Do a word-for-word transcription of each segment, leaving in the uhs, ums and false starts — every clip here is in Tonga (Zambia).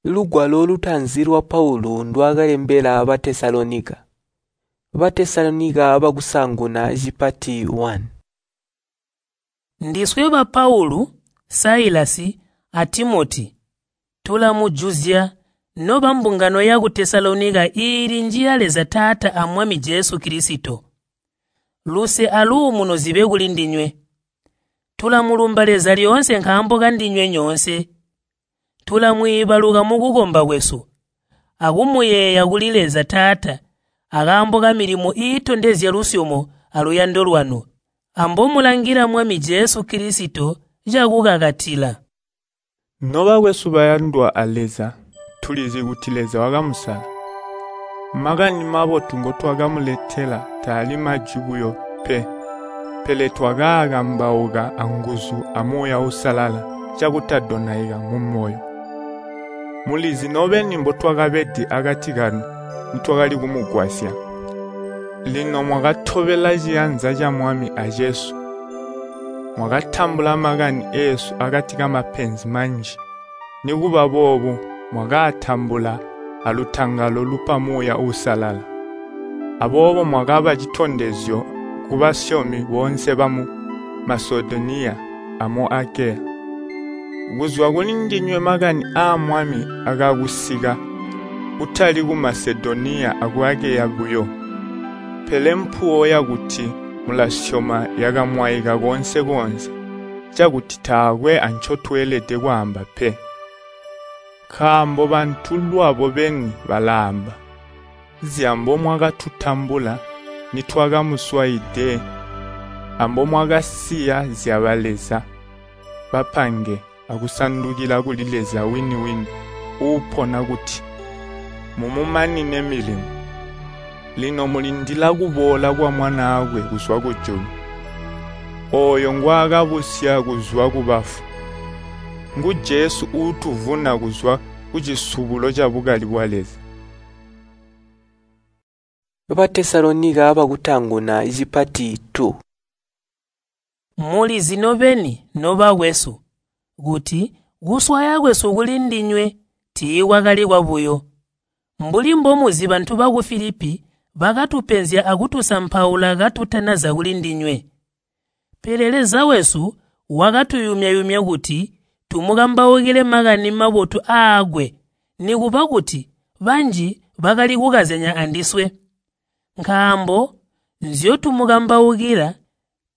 Lugwalo lutaanzi lwa Paulu ndwaakalembela Batesalonika. Batesalonika bakusaanguna cipati one. Ndiswe ba Paulu, Sailasi, a Timoti, tulamujuzya nobambungano yaku Tesalonika iili njiya Leza Taata a Mwami Jesu Kilisito. Luse aluumuno zibe kulindinywe. Tulamulumba Leza lyoonse nkaambo kandinywe nyoonse. Tulamwiibaluka mukukomba kwesu, akumuyeeya kuli Leza Taata akaambo kamilimo iitondezya lusyomo aluyando lwanu, ambomulangila Mwami Jesu Kilisito cakukakatila. Nobakwesu bayandwa a Leza, tulizi kuti Leza wakamusala. Makani mabotu ngotwakamuletela taali majwi buyo pe, pele twakaakambauka anguzu a Muuya Uusalala cakutadonaika mumoyo. Mulizi nobeni mbotwakabede akati kanu nitwakali kumugwasya. Lino mwakatobela ciyanza ca Mwami acesu. Mwakatambula makani eesu akati kamapenzi manji. Nikuba boobo mwakaatambula alutangalo lupa Muuya Uusalala. Aboobo mwakaba citondezyo kubasyomi boonse bamu Masedoniya amu Akeya. Kuzwa kulindinywe makani aa Mwami akakusika kutali ku Masedoniya aku Akeya buyo, pele mpuwo yakuti mulasyoma yakamwaika koonse-koonse, cakuti taakwe ancotweelede kwaamba pe. Nkaambo bantu lwabo beni balaamba zyambomwakatutambula nitwakamuswaide ambomwakasiya zyabaleza bapange akusandukila kuli Leza wini-wini uupona kuti mumumanine milimo. Lino mulindila kuboola kwa Mwanaakwe kuzwa kujulu, ooyo ngwaakabusya kuzwa kubafu. Ngu Jesu uutuvuna kuzwa kucisubulo cabukali bwa Leza. Batesalonika bakutaanguna cipati two. Mulizi nobeni nobakwesu kuti kuswaya kwesu kulindinywe tiikwakali kwabuyo. Mbuli mbomuzi bantu baku Filipi bakatupenzya akutusampaula katutanaza kulindinywe. Pele Leza wesu wakatuyumya-yumya kuti tumukambaukile makani mabotu aakwe, nikuba kuti banji bakali kukazyanya andiswe. Nkaambo nzyotumukambaukila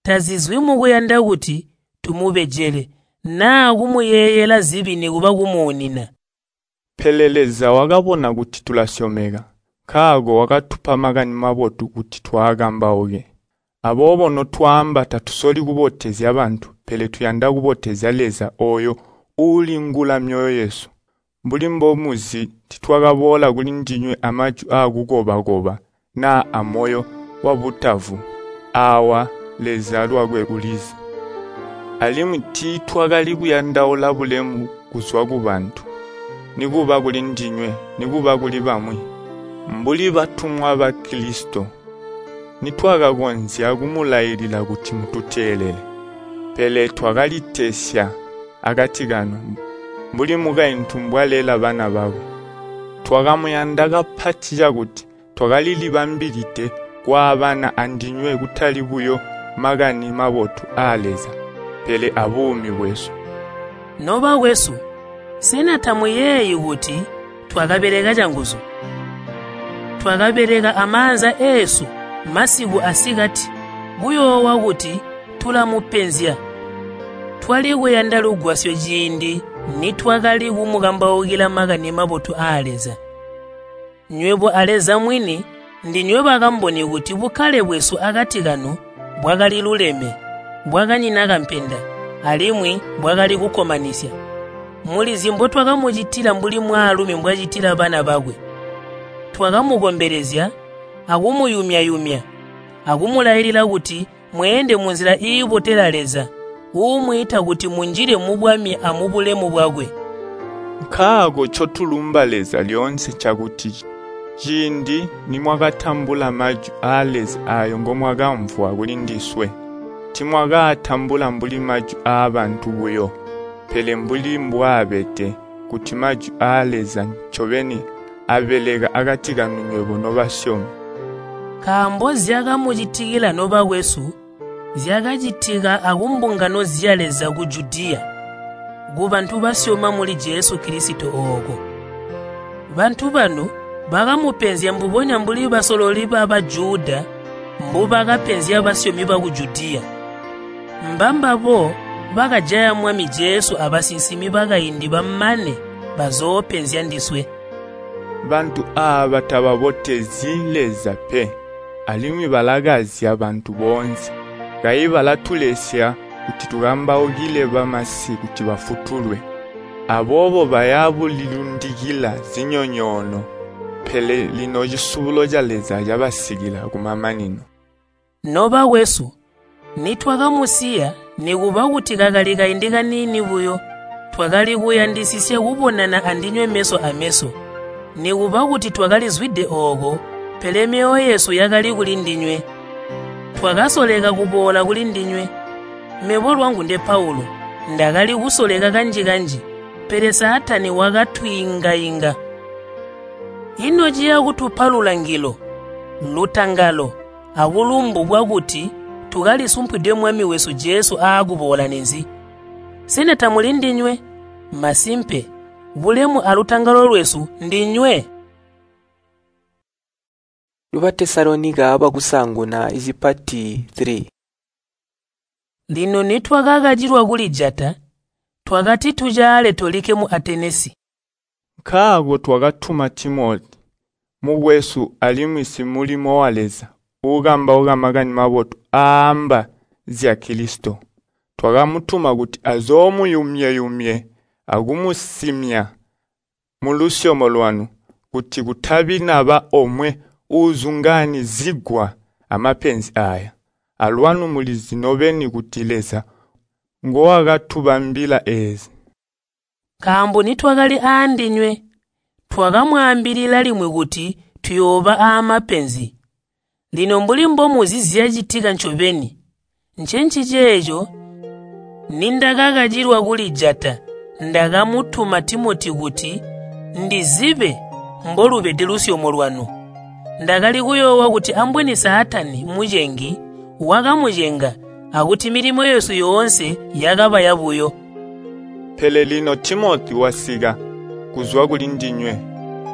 tazizwi mukuyanda kuti tumubejele naa kumuyeeyela zibi nikuba kumuunina. Pele Leza wakabona kuti tulasyomeka, nkaako wakatupa makani mabotu kuti twaakambauke. Aboobo notwaamba tatusoli kubotezya bantu, pele tuyanda kubotezya Leza ooyo uulingula myoyo yesu. Mbuli mbomuzi titwakaboola kulindinywe amajwi aakukoba-koba naa amoyo wabutavu. Aawa Leza lwakwe ulizi. Alimwi tiitwakali kuyandaula bulemu kuzwa kubantu, nikuba kulindinywe nikuba kuli bamwi. Mbuli batumwa ba Kilisito, nitwakakonzya kumulailila kuti mututeelele. Pele twakalitesya akati kanu, mbuli mukaintu mbwalela bana bakwe. Twakamuyanda kapati cakuti twakalilibambilide kwaabana andinywe kutali buyo makani mabotu aa Leza, pele abuumi bwesu. Nobakwesu, sena tamuyeeyi kuti twakabeleka canguzu? Twakabeleka amaanza eesu masiku asikati kuyoowa kuti tulamupenzya. Twali kuyanda lugwasyo ciindi nitwakali kumukambaukila makani mabotu aa Leza. Nywebo a Leza mwini ndinywe bakamboni kuti bukkale bwesu akati kanu bwakali luleme, bwakanyina kampenda, alimwi bwakali kukkomanisya. Mulizi mbotwakamucitila mbuli mwaalumi mbwacitila bana bakwe. Twakamukombelezya akumuyumya-yumya akumulailila kuti mweende munzila iibotela Leza, uumwiita kuti munjile mubwami amubulemu bwakwe. Nkaako ncotulumba Leza lyoonse ncakuti ciindi nimwakatambula majwi aa Leza aayo ngomwakamvwa kulindiswe, timwakaatambula mbuli majwi aabantu buyo, pele mbuli mbwaabede kuti majwi aa Leza ncobeni abeleka akati kanu nywebo nobasyomi. Nkaambo zyakamucitikila nobakwesu zyakacitika akumbungano zya Leza ku Judiya, kubantu basyoma muli Jesu Kilisito ooko. Bantu banu bakamupenzya mbubonya mbuli basololi ba Bajuda mbubakapenzya basyomi baku Judiya. Mbambabo bakajaya Mwami Jesu abasinsimi bakaindi bamane bazoopenzya ndiswe. Bantu aaba tababotezyi Leza pe, alimwi balakazya bantu boonse. Kayi balatulesya kuti tukambaukile bamasi kuti bafutulwe. Aboobo baya bulilundikila zinyonyoono, pele lino cisubulo ca Leza cabasikila kumamanino. Nobakwesu, nitwakamusiya nikuba kuti kakali kaindi kaniini buyo, twakali kuyandisisya kubonana andinywe meso ameso. Nikuba kuti twakalizwide ooko, pele myoyo yesu yakali kulindinywe. Twakasoleka kuboola kulindinywe. Mebo lwangu nde Paulu, ndakali kusoleka kanji-kanji, pele Saatani wakatwiinga-inga. Ino ciya kutupa lulangilo, lutangalo, abulumbu bwakuti tukalisumpwide Mwami wesu Jesu aakuboola ninzi? Sena tamuli ndinywe? Masimpe, bulemu alutangalo lwesu ndinywe. Batesalonika bakusaanguna icipati three. Lino nitwakakacilwa kulijata, twakati tucaale tolikke mu Atenesi. Nkaako twakatuma Timoti, mukwesu alimwi simulimo wa Leza, uukambauka makani mabotu aamba zya Kilisito. Twakamutuma kuti azoomuyumye-yumye akumusimya mulusyomo lwanu, kuti kutabi naba omwe uuzungaanizigwa amapenzi aya. Alwanu mulizi nobeni kuti Leza ngowakatubambila eezi. Nkaambo nitwakali aandinywe, twakamwaambilila limwi kuti tuyooba aamapenzi. Lino mbuli mbomuzi zyacitika ncobeni, ncenciceeco nindakakacilwa kulijata, ndakamutuma Timoti kuti ndizibe mbolubede lusyomo lwanu. Ndakali kuyoowa kuti ambweni Saatani mucengi wakamucenga akuti milimo yesu yoonse yakaba yabuyo. Pele lino Timoti wasika kuzwa kulindinywe,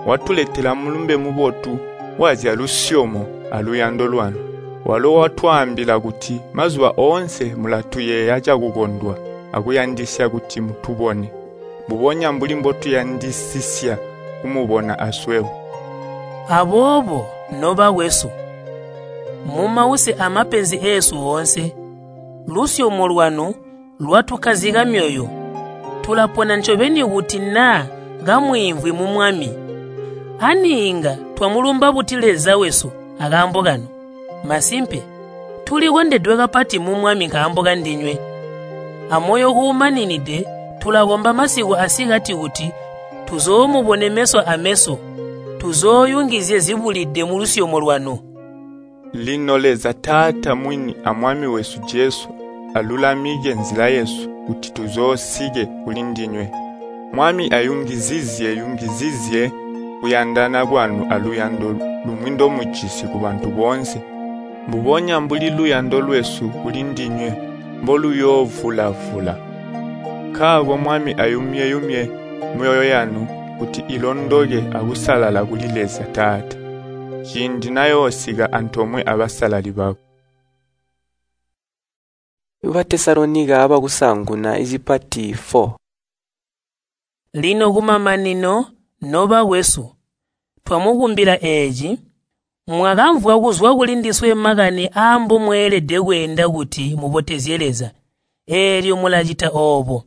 watuletela mulumbe mubotu wazya lusyomo aluyando lwanu. Walo watwaambila kuti mazuba oonse mulatuyeeya cakukondwa akuyandisya kuti mutubone, mbubonya mbuli mbotuyandisisya kumubona aswebo. Aboobo nobakwesu, mumause amapenzi eesu oonse, lusyomo lwanu lwatukkazika myoyo. Tulapona ncobeni kuti naa kamwiimvwi mu Mwami. Ani inga twamulumba buti Leza wesu akaambo kanu? Masimpe, tulikondedwe kapati mu Mwami nkaambo kandinywe. Amoyo uumaninide tulakomba masiku asikati kuti tuzoomubone meso ameso, tuzooyungizye zibulide mulusyomo lwanu. Lino Leza Taata mwini a Mwami wesu Jesu alulamike nzila yesu kuti tuzoosike kulindinywe. Mwami ayungizizye yungizizye kuyandana kwanu aluyando lumwi ndomujisi kubantu boonse, mbubonya mbuli luyando lwesu kulindinywe mboluyoovula-vula. Nkaako Mwami ayumye-yumye myoyo yanu kuti ilondoke akusalala kuli Leza Taata, ciindi nayoosika antoomwe abasalali bakwe. Batesalonika bakusaanguna icipati four. Lino kumamanino, nobakwesu, twamukumbila eeci, mwakamvwa kuzwa kulindiswe makani aambomweelede kweenda kuti mubotezye Leza, eelyo mulacita oobo.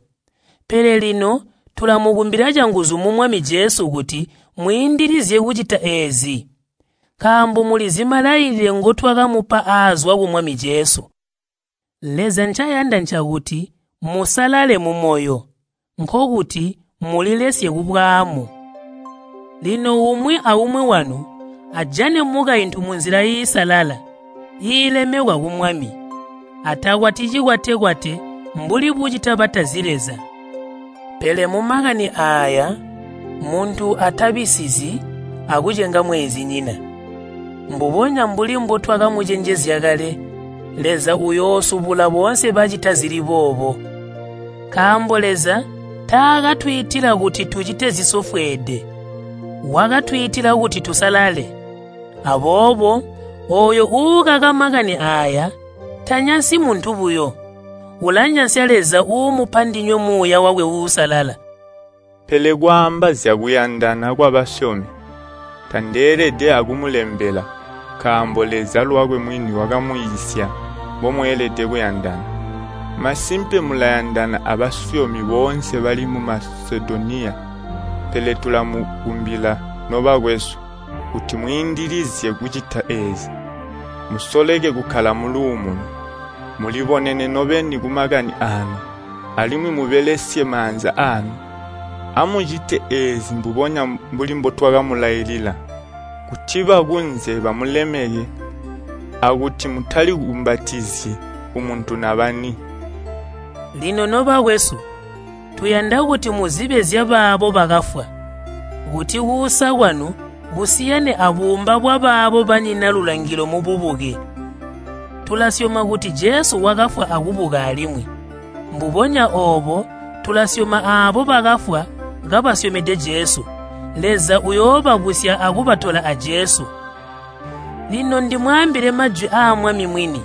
Pele lino tulamukumbila canguzu mu Mwami Jesu kuti mwiindilizye kucita eezi, nkaambo mulizi malailile ngotwakamupa aazwa ku Mwami Jesu. Leza ncayanda ncakuti musalale mumoyo, nkokuti mulilesye kubwaamu. Lino umwi aumwi wanu ajane mukaintu munzila iisalala, iilemekwa ku Mwami, atakwati cikwatekwate mbuli bucita batazi Leza. Pele mumakani aaya muntu atabisizyi akucenga mweenzinyina. Mbubonya mbuli mbotwakamucenjezya kale, Leza uyoosubula boonse bacita zili boobo. Nkaambo Leza taakatwiitila kuti tucite zisofweede, wakatwiitila kuti tusalale. Aboobo ooyo uukaka makani aaya tanyansi muntu buyo, ulanyansya Leza uumupa ndinywe Muuya wakwe Uusalala. Pele kwaamba zyakuyandana kwabasyomi, tandeelede akumulembela, nkaambo Leza lwakwe mwini wakamwiisya mbomweelede kuyandana. Masimpe mulayandana abasyomi boonse bali mu Masedoniya, pele tulamukumbila nobakwesu, kuti mwiindilizye kucita eezi. Musoleke kukkala muluumuno, mulibonene nobeni kumakani aanu, alimwi mubelesye maanza aanu. Amucite eezi mbubonya mbuli mbotwakamulailila, kuti bakunze bamulemeke, akuti mutalikumbatizyi kumuntu nabani. Lino nobakwesu, tuyanda kuti muzibe zyabaabo bakafwa, kuti kuusa kwanu kusiyane abuumba bwabaabo banyina lulangilo mububuke. Tulasyoma kuti Jesu wakafwa akubuka alimwi. Mbubonya oobo tulasyoma aabo bakafwa kabasyomede Jesu. Leza uyoobabusya akubatola a Jesu. Lino ndimwaambile majwi aa Mwami mwini.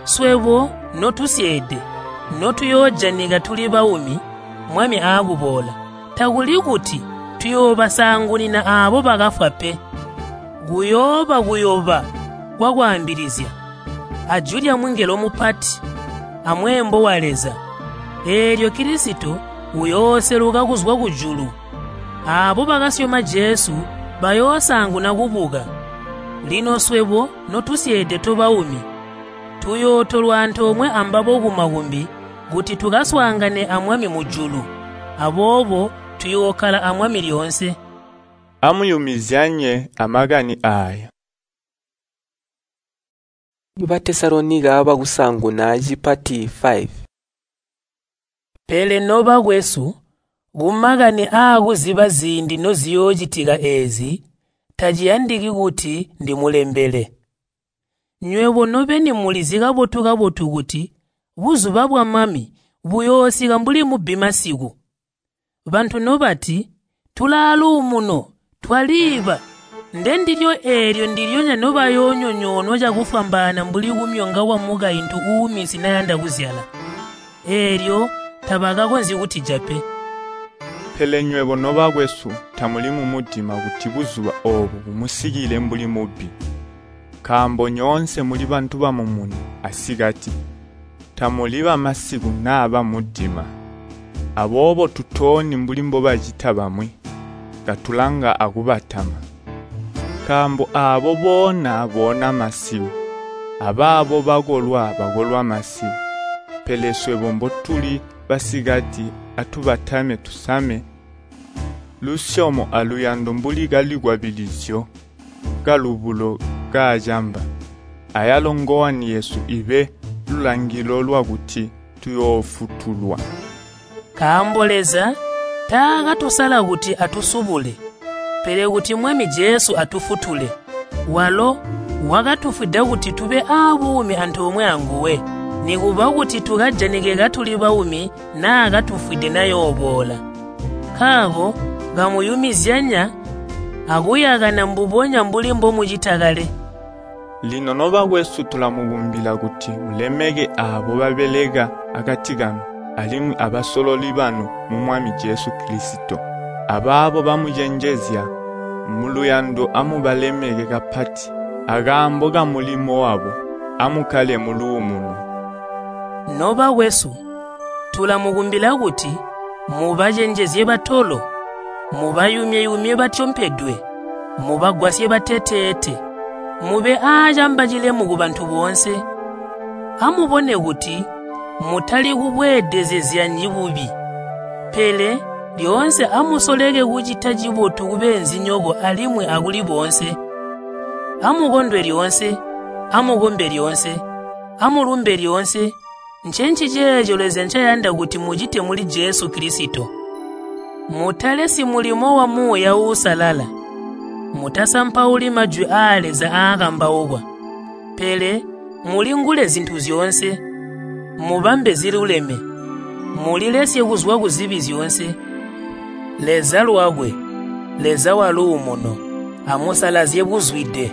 Swebo notusyeede, notuyoojanika tuli baumi, Mwami aakuboola, takuli kuti tuyoobasaangunina aabo bakafwa pe. Kuyooba kuyoba kwakwaambilizya, ajwi lyamungelo mupati, amweembo wa Leza. Eelyo Kilisito uyooseluka kuzwa kujulu. Aabo bakasyoma Jesu bayoosaanguna kubuka. Lino swebo notusyeede tobaumi, tuyootolwa antoomwe ambabo kumakumbi kuti tukaswaangane a Mwami mujulu. Aboobo tuyookkala a Mwami lyoonse. Amuyumizyanye amakani aaya. Batesalonika bakusaanguna cipati five. Pele nobakwesu, kumakani aakuziba ziindi noziyoocitika eezi, taciyandiki kuti ndimulembele. Nywebo nobeni mulizi kabotu-kabotu kuti buzuba bwa Mwami buyoosika mbuli mubbi masiku. Bantu nobati, “Tulaaluumuno, twaliiba,” ndendilyo eelyo ndilyonya nobayoonyonyoonwa cakufwambaana mbuli kumyonga kwamukaintu uumisi nayanda kuzyala. Eelyo tabakakonzyi kutija pe. Pele nywebo nobakwesu tamuli mumudima kuti buzuba oobu bumusikile mbuli mubbi. Nkaambo nyoonse muli bantu bamumuni asikati, tamuli bamasiku naa bamudima. Aboobo tutooni mbuli mbobacita bamwi, katulanga akubatama. Nkaambo aabo boona boona masiku, abaabo bakolwa bakolwa masiku. Pele swebo mbotuli basikati atubatame tusame lusyomo aluyando mbuli kalikwabilizyo kalubulo kaacamba. Ayalo ngowani yesu ibe lulangilo lwakuti tuyoofutulwa. Nkaambo Leza taakatusala kuti atusubule, pele kuti Mwami Jesu atufutule. Walo wakatufwida kuti tube aabuumi antoomwe anguwe, nikuba kuti tukajanike katuli baumi naa katufwide nayooboola. Nkaako kamuyumizyanya akuyakana mbubonya mbuli mbomucita kale. Lino nobakwesu tulamukumbila kuti mulemeke aabo babeleka akati kanu alimwi abasololi banu mu Mwami Jesu Kilisito. Abaabo bamucenjezya muluyando amubalemeke kapati akaambo kamulimo wabo. Amukkale muluumuno. Nobakwesu, tulamukumbila kuti mubacenjezye batolo, mubayumye-yumye batyompedwe, mubagwasye bateteete, mube aacamba cilemu kubantu boonse. Amubone kuti mutali kubweedezezyanyi bubi, pele lyoonse amusoleke kucita cibotu kubeenzinyoko alimwi akuli boonse. Amukondwe lyoonse, amukombe lyoonse, amulumbe lyoonse. Ncenciceeco Leza ncayanda kuti mucite muli Jesu Kilisito. Mutalesyi mulimo wa Muuya Uusalala. Mutasampauli majwi aa Leza aakambaukwa. Pele mulingule zintu zyoonse, mubambe ziluleme, mulilesye kuzwa kuzibi zyoonse. Leza lwakwe, Leza waluumuno, amusalazye buzwide.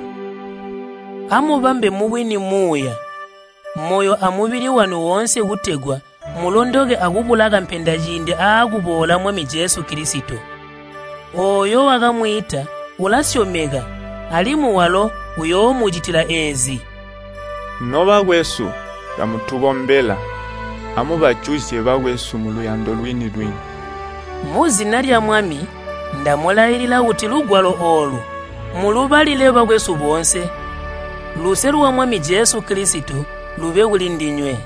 Amubambe mubwini muuya, moyo amubili wanu woonse kutegwa mulondoke akubula kampenda ciindi aakuboola Mwami Jesu Kilisito. Ooyo wakamwiita ulasyomeka alimwi walo uyoomucitila eezi. Nobakwesu, kamutukombela. Amubajuzye bakwesu muluyando lwini-lwini. Muzina lya Mwami ndamulailila kuti lugwalo oolu mulubalile bakwesu boonse. Luse lwa Mwami Jesu Kilisito lube kuli ndinywe.